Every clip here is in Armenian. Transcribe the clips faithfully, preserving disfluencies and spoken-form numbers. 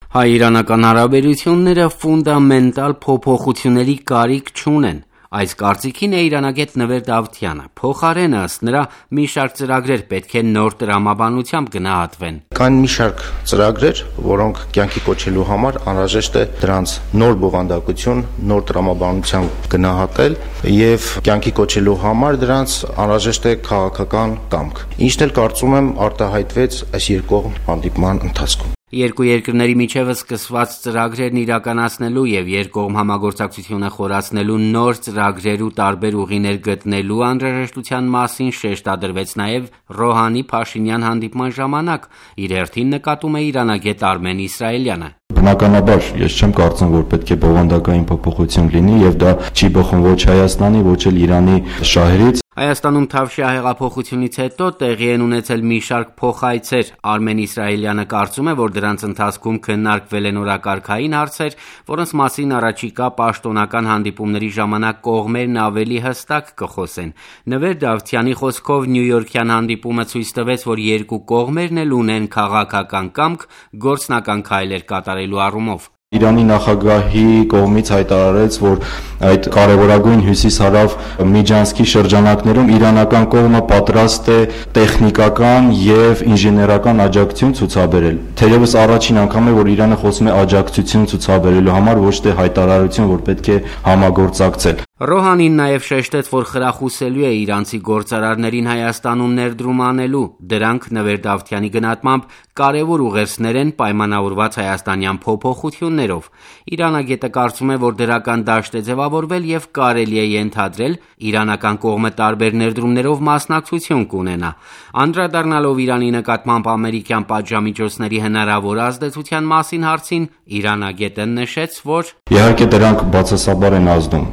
Հայ-իրանական հարաբերությունները ֆունդամենտալ փոփոխությունների կարիք չունեն։ Այս կարծիքին է իրանագետ Նվեր Դավթյանը։ Փոխարենը, ըստ նրա, մի շարք ծրագրեր պետք է նոր տրամաբանությամբ գնահատվեն։ Կան մի շարք ծրագրեր, որոնք կյանքի կոչելու համար անհրաժեշտ է դրանց նոր բովանդակություն, նոր տրամաբանությամբ գնահատել եւ կյանքի կոչելու համար դրանց անհրաժեշտ է քաղաքական կամք։ Ինչն էլ կարծում եմ արտահայտվեց այս երկկողմ հանդիպման ընթացքում։ Երկու երկրների միջև սկսված ծրագրերն իրականացնելու եւ երկկողմ համագործակցությունը խորացնելու նոր ծրագրեր ու տարբեր ուղիներ գտնելու անհրաժեշտության մասին շեշտադրվեց նաեւ Ռոհանի-Փաշինյան հանդիպման ժամանակ, իր հերթին նկատում է իրանագետ Արմեն Իսրայելյանը։ Բնականաբար, ես չեմ կարծում, որ պետք է բովանդակային փոփոխություն լինի եւ դա չի բխում ոչ Հայաստանի, ոչ էլ Իրանի շահերից։ Հայաստանում Թավշյա հեղափոխությունից հետո տեղի են ունեցել մի շարք փոխայցեր։ Արմեն Իսրայելյանը կարծում է, որ դրանց ընթացքում քննարկվել են օրակարգային հարցեր, որոնց մասին առաջիկա պաշտոնական հանդիպումների ժամանակ կողմերն ավելի հստակ կխոսեն։ Նվեր Դավթյանի խոսքով Նյույորքյան հանդիպումը ցույց տվեց, որ երկու կողմերն էլ ունեն քաղաքական կամք գործնական քայլեր կատարելու առումով։ Իրանի նախագահի կողմից հայտարարեց, որ այդ կարևորագույն հյուսիս-հարավ միջանցքի շրջանակներում իրանական կողմը պատրաստ է տեխնիկական եւ ինժեներական աջակցություն ցուցաբերել։ Թերևս առաջին անգամ է, որ Իրանը խոսում է աջակցություն ցուցաբերելու համար, ոչ թե հայտարարություն, որ պետք է համագործակցել։ Ռոհանին նաև շեշտեց, որ խրախուսելու է իրանցի գործարարներին Հայաստանում ներդրում անելու։ Դրանք Նվեր Դավթյանի գնահատմամբ կարևոր ուղերձներ են պայմանավորված հայաստանյան փոփոխություններով։ Իրանագետը կարծում է, որ դրական դաշտ է ձևավորվել եւ կարելի է ենթադրել իրանական կողմը տարբեր ներդրումներով մասնակցություն կունենա։ Անդրադառնալով Իրանի նկատմամբ ամերիկյան պատժամիջոցների հնարավոր ազդեցության մասին հարցին, իրանագետը նշեց, որ իհարկե դրանք բացասաբար են ազդում,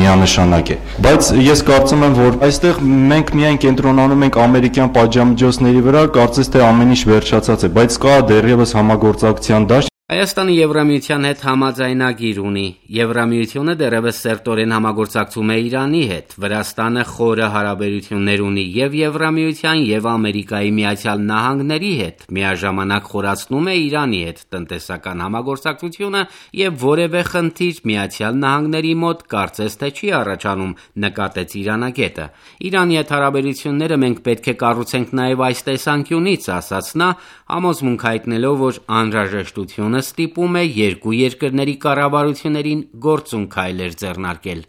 միանշանակ է, բայց ես կարծում եմ, որ այստեղ մենք միայն կենտրոնանում ենք ամերիկյան պատժամիջոցների վրա, կարծես թե ամեն ինչ վերջացած է, բայց կա դեռևս համագործակցության դաշտ։ Հայաստանը Եվրամիության հետ համաձայնագիր ունի։ Եվրամիությունը դեռևս սերտորեն համագործակցում է Իրանի հետ։ Վրաստանը խորը հարաբերություններ ունի եւ Եվրամիության եւ Ամերիկայի Միացյալ Նահանգների հետ։ Միաժամանակ խորացնում է Իրանի հետ տնտեսական համագործակցությունը եւ որևէ խնդիր Միացյալ Նահանգների մոտ կարծես թե չի առաջանում, նկատեց իրանագետը։ Իրանի հետ հարաբերությունները մենք պետք է կառուցենք նաեւ այս տեսանկյունից, ասաց նա, համոզմունք հայտնելով, որ անհրաժեշտությունը ստիպում է երկու երկրների կառավարություններին գործուն քայլեր ձեռնարկել։